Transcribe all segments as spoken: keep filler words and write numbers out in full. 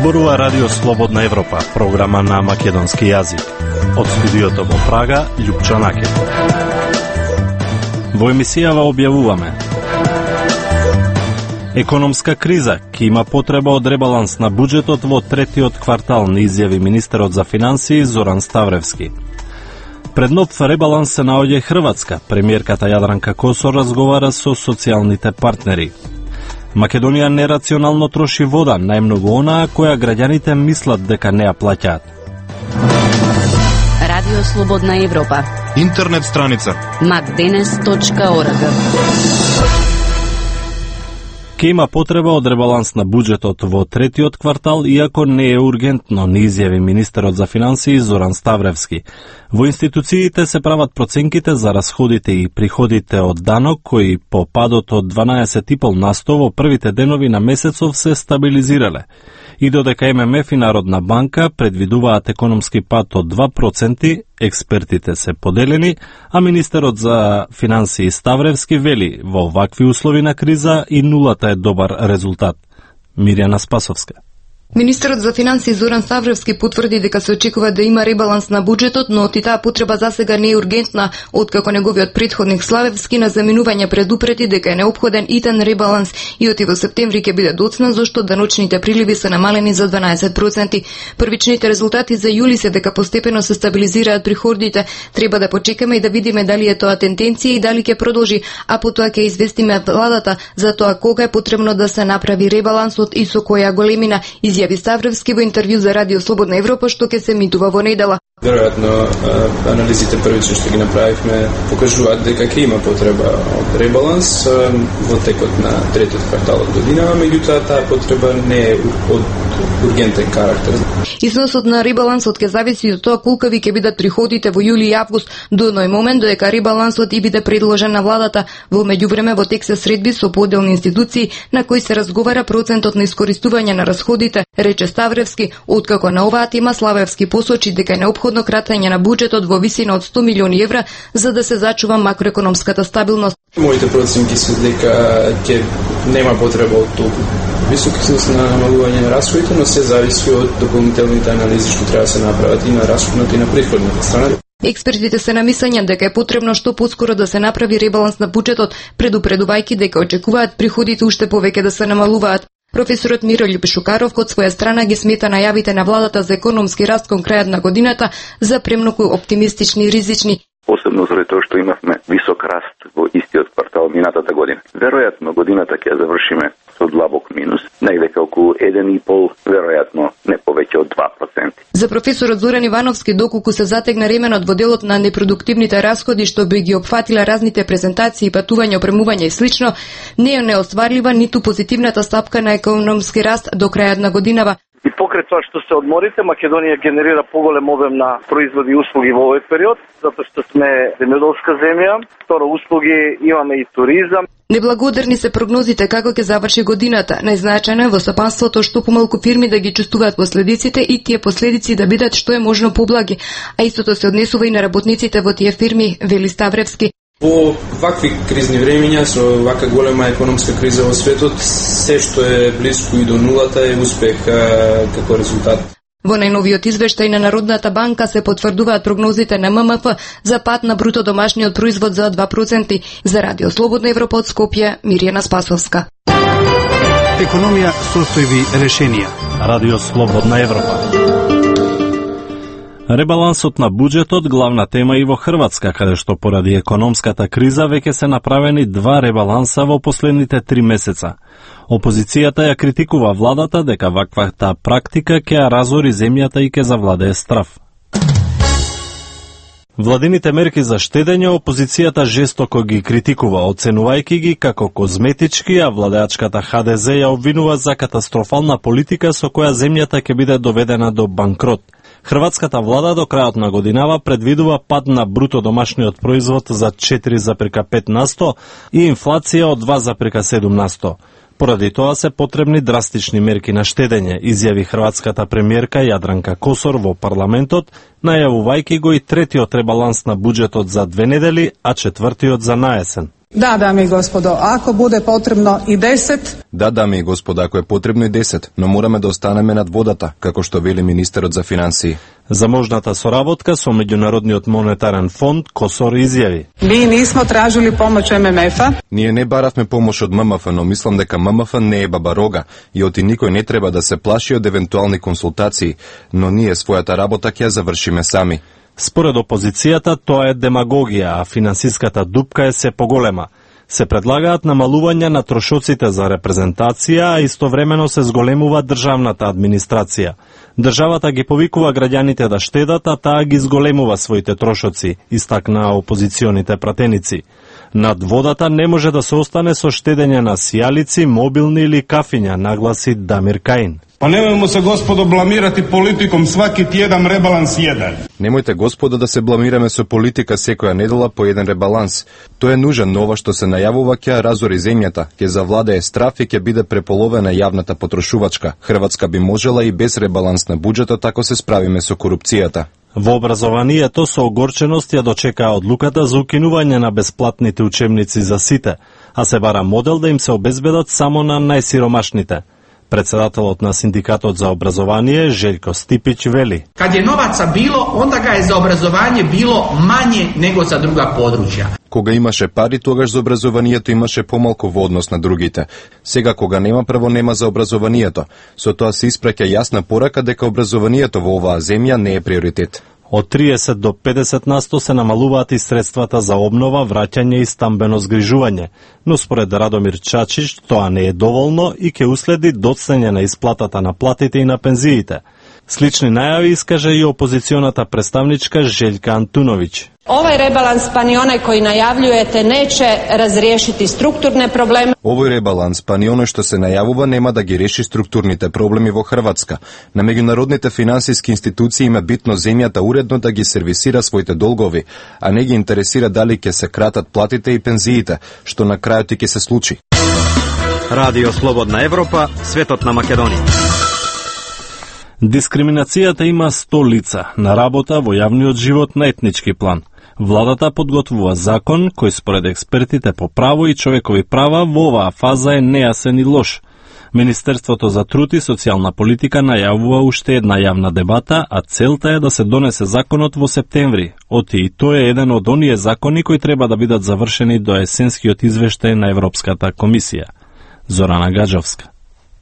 Зборува Радио Слободна Европа, програма на македонски јазик. Од студиото во Прага, Љупчо Накет. Во емисијава објавуваме: економска криза, ки има потреба од ребаланс на буџетот во третиот квартал, не изјави министерот за финансии Зоран Ставревски. Пред нов ребаланс се наоѓа Хрватска. Премиерката Јадранка Косор разговара со социјалните партнери. Македонија нерационално троши вода, најмногу онаа која граѓаните мислат дека не ја плаќаат. Радио Слободна Европа. Интернет страница макденес точка орг. Ке има потреба од ребаланс на буџетот во третиот квартал, иако не е ургентно, не изјави министерот за финансии Зоран Ставревски. Во институциите се прават проценките за расходите и приходите од данок, кои по падот од дванаесет и пет на сто во првите денови на месецов се стабилизирале. И додека Ем Ем Еф и Народна банка предвидуваат економски пад од два проценти, експертите се поделени, а министерот за финансии Ставревски вели во вакви услови на криза и нулата е добар резултат. Мирјана Спасовска. Министерот за финансии Зоран Ставревски потврди дека се очекува да има ребаланс на буџетот, но и таа потреба засега не е ургентна, откако неговиот претходник Славевски на заминување предупреди дека е неопходен итен ребаланс и оти во септември ќе биде доцна, зашто даночните приливи се намалени за дванаесет проценти. Првичните резултати за јули се дека постепено се стабилизираат приходите. Треба да почекаме и да видиме дали е тоа тенденција и дали ќе продолжи, а потоа ќе известиме владата за тоа кога е потребно да се направи ребалансот и со која големина, изјави Ставревски во интервју за Радио Слободна Европа, што ќе се емитува во недела. Веројатно, анализите првично што ги направивме покажуваат дека ќе има потреба од ребаланс во текот на третиот квартал од годинава, меѓутоа таа потреба не е од ургентен карактер. Износот на ребалансот ќе зависи од тоа колкави ќе бидат приходите во јули и август, до оној момент додека ребалансот и биде предложен на владата. Во меѓувреме во тек се средби со поделни институции на кои се разговара процентот на искористување на расходите, рече Ставревски, откако на оваа тема Славевски посочи дека е неопходно кратење на буџетот во висина од сто милиони евра за да се зачува макроекономската стабилност. Моите проценки се дека ќе нема потреба од толку висок износ на намалување на расходите, но се зависи од дополнителните анализи што треба да се направат и на расходната и на приходната страна. Експертите се на мислење дека е потребно што поскоро да се направи ребаланс на буџетот, предупредувајќи дека очекуваат приходите уште повеќе да се намалуваат. Професорот Мирољуб Шукаров од своја страна ги смета најавите на владата за економски раст кон крајот на годината за премногу оптимистични и ризични. Посебно заради тоа што имавме висок раст во истиот квартал минатата година. Веројатно годината ќе завршиме со длабок минус, негде околу еден и пол, веројатно не повеќе од два проценти. За професорот Зоран Ивановски, доколку се затегна ременот во делот на непродуктивните расходи што би ги опфатила разните презентации, патување, опремување и слично, не е неостварлива ниту позитивната стапка на економски раст до крајот на годинава. И покрај тоа што се одморите, Македонија генерира поголем обем на производи и услуги во овој период, затоа што сме земјоделска земја, второ услуги имаме и туризам. Неблагодарни се прогнозите како ќе заврши годината. Најзначајно е во стопанството што помалку фирми да ги чувствуваат последиците и тие последици да бидат што е можно поблаги, а истото се однесува и на работниците во тие фирми, вели Ставревски. Во вакви кризни времиња, со вака голема економска криза во светот, се што е близко и до нулата е успех како резултат. Во најновиот извештај на Народната банка се потврдуваат прогнозите на Ем Ем Еф за пад на бруто домашниот производ за два проценти. За Радио Слободна Европа од Скопје, Мирјана Спасовска. Економија, состојби, решенија. Радио Слободна Европа. Ребалансот на буџетот главна тема и во Хрватска, каде што поради економската криза веќе се направени два ребаланса во последните три месеца. Опозицијата ја критикува владата дека ваквата практика ќе ја разори земјата и ќе завладее страв. Владините мерки за штедење опозицијата жестоко ги критикува, оценувајќи ги како козметички, а владеачката Ха Де Зе ја обвинува за катастрофална политика со која земјата ќе биде доведена до банкрот. Хрватската влада до крајот на годинава предвидува пад на бруто домашниот производ за четири запирка пет на сто и инфлација од два запирка седум на сто. Поради тоа се потребни драстични мерки на штедење, изјави хрватската премиерка Јадранка Косор во парламентот, најавувајќи го и третиот ребаланс на буџетот за две недели, а четвртиот за наесен. Да, дами и господо, ако буде потребно и десет. Да, дами и господа, ако е потребно и десет, но мораме да останеме над водата, како што вели министерот за финансии. За можната соработка со Меѓународниот монетарен фонд Косор изјави: Ми нисмо тражили помош Ем Ем Еф-а. Ние не баравме помош од М М Ф, но мислам дека М М Ф не е бабарога и оти никој не треба да се плаши од евентуални консултации, но ние својата работа ќе ја завршиме сами. Според опозицијата тоа е демагогија, а финансиската дупка е се поголема. Се предлагаат намалување на трошоците за репрезентација, а истовремено се зголемува државната администрација. Државата ги повикува граѓаните да штедат, а таа ги зголемува своите трошоци, истакна опозиционите пратеници. Над водата не може да се остане со штедење на сијалици, мобилни или кафиња, нагласи Дамир Каин. Па немојмо се, господо, бламирати политиком сваки тjedam ребаланс еден. Немојте, господо, да се бламираме со политика секоја недела по еден ребаланс. Тој е нужен, но ова што се најавува ќе разори земјата, ќе завладее страф и ќе биде преполовена јавната потрошувачка. Хрватска би можела и без ребаланс на буџетот ако се справиме со корупцијата. Во образованието со огорченост ја дочекаа одлуката за укинување на бесплатните учебници за сите, а се бара модел да им се обезбедат само на најсиромашните. Председателот на Синдикатот за образование Желјко Стипиć вели: Kad je novaca bilo, onda ga je za obrazovanje bilo manje nego za druga područja. Кога имаше пари, тогаш за образованието имаше помалку во однос на другите. Сега кога нема, прво нема за образованието. Со тоа се испраќа јасна порака дека образованието во оваа земја не е приоритет. Од триесет до педесет насто се намалуваат и средствата за обнова, враќање и стамбено згрижување, но според Радомир Чачич тоа не е доволно и ќе уследи доцнење на исплатата на платите и на пензиите. Слични најави искаже и опозиционата представничка Željka Antunović. Ovaj rebalans, pa ni onaj koji najavljujete, neće razriješiti strukturne probleme. Овој ребаланс, па ни оној што се најавува, нема да ги реши структурните проблеми во Хрватска. На меѓународните финансиски институции има битно земјата уредно да ги сервисира своите долгови, а не ги интересира дали ќе се кратат платите и пензиите, што на крајот и ќе се случи. Радио Слободна Европа, светот на Македонија. Дискриминацијата има сто лица на работа во јавниот живот на етнички план. Владата подготвува закон кој според експертите по право и човекови права во оваа фаза е нејасен и лош. Министерството за труд и социјална политика најавува уште една јавна дебата, а целта е да се донесе законот во септември. Оти и тој е еден од оние закони кои треба да бидат завршени до есенскиот извештај на Европската комисија. Зорана Гаджовска.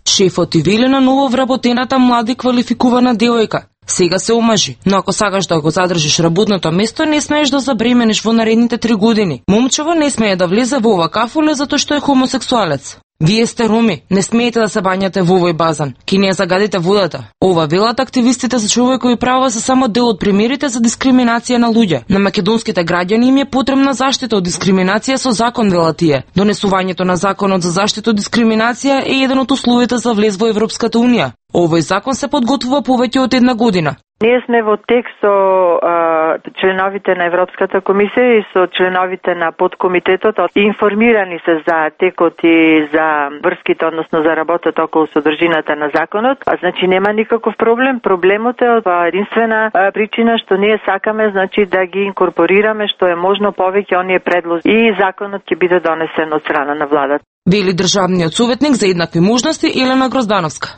Шефот и вели на ново вработената млада и квалификувана девојка: сега се омажи, но ако сакаш да го задржиш работното место, не смееш да забремениш во наредните три години. Момчево не смее да влезе во ова кафуле затоа што е хомосексуалец. Вие сте роми, не смеете да се бањате во овој базан, ки не ја загадите водата. Ова велат активистите за човекови права се само дел од примерите за дискриминација на луѓе. На македонските граѓани им е потребна заштита од дискриминација со закон, велат тие. Донесувањето на законот за заштита од дискриминација е еден од условите за влез во Европската унија. Овој закон се подготвува повеќе од една година. Ние сме во текст со а, членовите на Европската комисија и со членовите на подкомитетот. Информирани се за текот и за врските, односно за работата околу содржината на законот. А значи нема никаков проблем. Проблемот е од единствена а, причина што ние сакаме, значи да ги инкорпорираме што е можно повеќе оние предлози и законот ќе биде донесен од страна на владата. Вели државниот советник за еднакви можности Елена Гроздановска.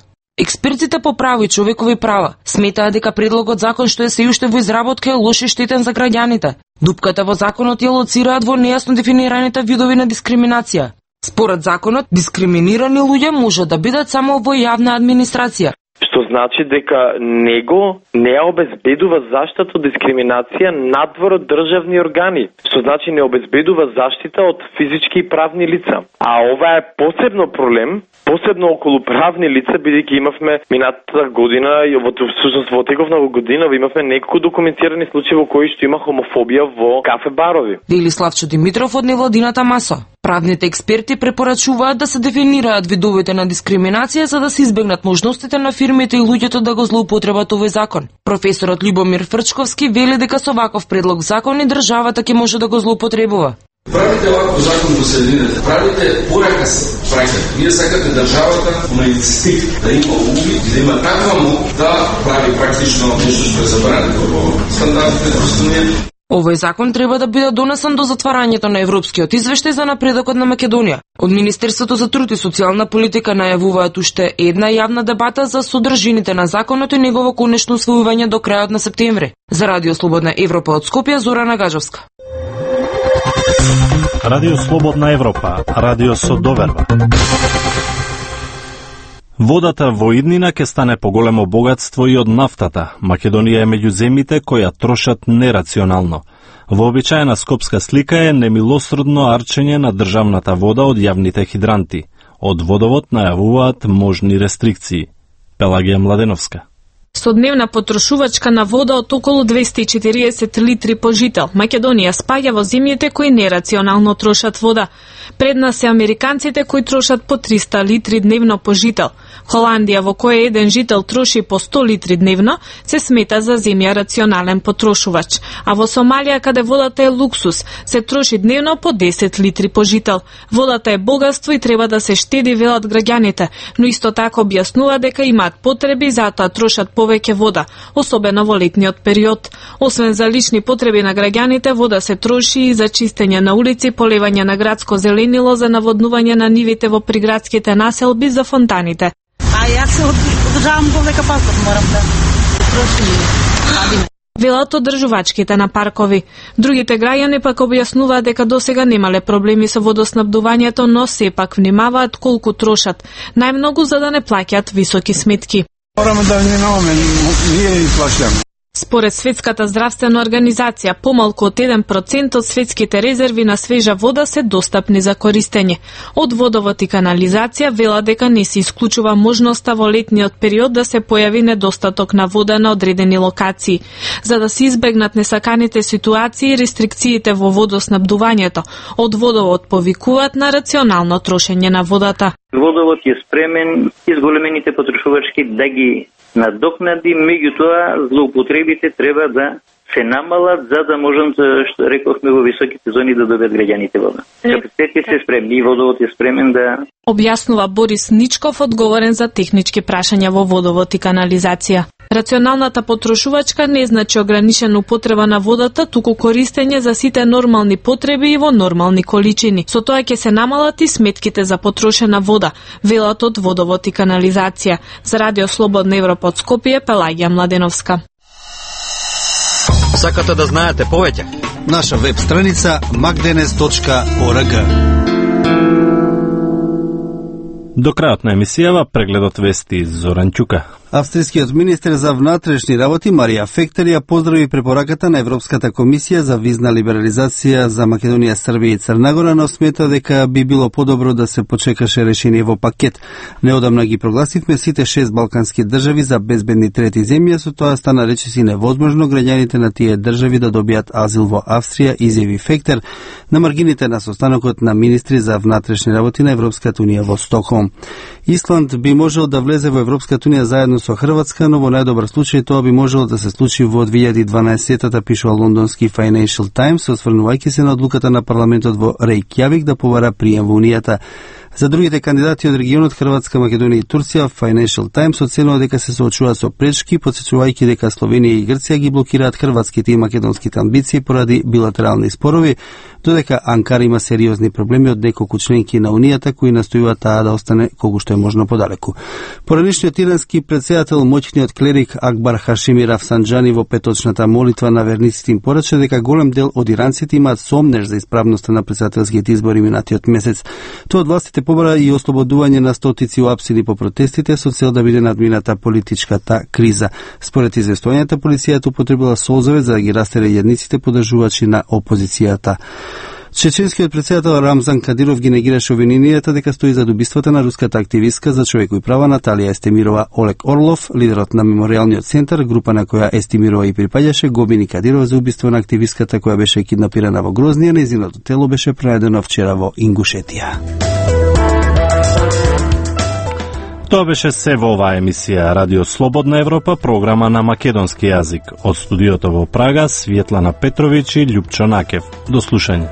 Експертите по право и човекови права сметаат дека предлогот закон што е се уште во изработка е лош и штетен за граѓаните. Дупката во законот ја лоцираат во нејасно дефинираните видови на дискриминација. Според законот, дискриминирани луѓе може да бидат само во јавна администрација. Што значи дека него не ја обезбедува заштита од дискриминација надвор од државни органи. Што значи не обезбедува заштита од физички и правни лица. А ова е посебно проблем, посебно околу правни лица, бидејќи имавме минатата година и во всушност во теков на година имавме неколку документирани случаи во кои што има хомофобија во кафе барови. Вели Славчо Димитров од невладината маса. Правните експерти препорачуваат да се дефинираат видовите на дискриминација за да се избегнат можностите на фирмите и луѓето да го злоупотребат овој закон. Професорот Љубомир Фрчковски вели дека со ваков предлог закон и државата ќе може да го злоупотребува. Правите ваков закон во средината, правите порака се праќате. Вие сакате државата на инстинкт да има увид, да има таква мок да прави практично нешто што е забрането во стандартите просто не. Овој закон треба да биде донесен до затварањето на Европскиот извештај за напредокот на Македонија. Од Министерството за труд и социјална политика најавуваат уште една јавна дебата за содржините на законот и негово конечно усвојување до крајот на септември. За Радио Слободна Европа од Скопје, Зорана Гаджевска. Радио Слободна Европа, радио со доверба. Водата во иднина ќе стане поголемо богатство и од нафтата. Македонија е меѓу земјите кои ја трошат нерационално. Вообичаена скопска слика е немилосредно арчење на државната вода од јавните хидранти. Од водовод најавуваат можни рестрикции. Пелагија Младеновска. Со дневна потрошувачка на вода од околу двесте и четириесет литри по жител, Македонија спаѓа во земјите кои нерационално трошат вода. Пред нас се американците кои трошат по триста литри дневно по жител. Холандија, во која еден жител троши по сто литри дневно, се смета за земја рационален потрошувач. А во Сомалија, каде водата е луксус, се троши дневно по десет литри по жител. Водата е богатство и треба да се штеди, велат граѓаните, но исто така објаснува дека имаат потреби и затоа трошат повеќе вода, особено во летниот период. Освен за лични потреби на граѓаните, вода се троши и за чистење на улици, полевање на градско зеленило, за наводнување на нивите во приградските населби, за фонтаните. А јас се одржавам повека парков, морам да трошим. Велат одржувачките на паркови. Другите граѓани пак објаснуваат дека досега немале проблеми со водоснабдувањето, но сепак внимаваат колку трошат, најмногу за да не плаќаат високи сметки. Мораме да внимаваме, ние ни плаќаме. Според Светската здравствена организација, помалку од еден процент од светските резерви на свежа вода се достапни за користење. Од водовод и канализација вела дека не се исклучува можноста во летниот период да се појави недостаток на вода на одредени локации. За да се избегнат несаканите ситуации и рестрикциите во водоснабдувањето, од водовод повикуваат на рационално трошење на водата. Водовод е спремен изголемените потрошувачки да ги надокнади, меѓутоа злоупотребите треба да се намалат за да можам, што рековме, во високите зони да добијат граѓаните вода. Капацитетите се спремни и водовод е спремен да... Објаснува Борис Ничков, одговорен за технички прашања во водовод и канализација. Рационалната потрошувачка не значи ограничена употреба на водата, туку користење за сите нормални потреби и во нормални количини. Со тоа ќе се намалат и сметките за потрошена вода, велат од водовод и канализација. За Радио Слободна Европа од Скопје, Пелагија Младеновска. Сакате да знаете повеќе? Наша веб страница макденес точка орг. До крајот на емисијава прегледот вести Зоран Ќука. Австријскиот министер за внатрешни работи Марија Фектер ја поздрави препораката на Европската комисија за визна либерализација за Македонија, Србија и Црна Гора, но смета дека би било подобро да се почекаше решение во пакет. Неодамна ги прогласивме сите шест балкански држави за безбедни трети земји, со тоа стана речиси невозможно граѓаните на тие држави да добијат азил во Австрија, изјави Фектер на маргините на состанокот на министри за внатрешни работи на Европската унија во Стокхолм. Исланд би можел да влезе во Европската унија заедно со Хрватска, но во најдобар случај тоа би можело да се случи во две илјади и дванаесеттата, пишува лондонски Financial Times, осврнувајќи се на одлуката на парламентот во Рејкјавик да побара прием во Унијата. За другите кандидати од регионот Хрватска, Македонија и Турција, Financial Times оценува дека се соочуваат со пречки, потсечувајќи дека Словенија и Грција ги блокираат хрватските и македонските амбиции поради билатерални спорови, додека Анкара има сериозни проблеми од неколку членки на Унијата кои настојуваат таа да остане колку што е можно подалеку. Поранишниот ирански претседател, моќниот клерик Акбар Хашими Рафсанџани во петочната молитва на верниците им порача дека голем дел од иранците имаат сомнеж за исправноста на претседателските избори минатиот месец. Тоа од властите побара и ослободување на стотици уапсени по протестите со цел да биде надмината политичката криза. Според известувањата, полицијата употребила солзове за да ги растере јадниците подржувачи на опозицијата. Чеченскиот претседател Рамзан Кадиров ги негираше обвиненијата дека стои зад убиствата на руската активистка за човекови права Наталија Естемирова. Олег Орлов, лидерот на меморијалниот центар, група на која Естемирова и припаѓаше, го обвини Кадиров за убиство на активистката која беше киднапирана во Грознија. Нејзиното тело беше пронајдено вчера во Ингушетија. Тоа беше се во оваа емисија Радио Слободна Европа, програма на македонски јазик. Од студиото во Прага, Светлана Петровиќ и Љупчо Накев. До слушање.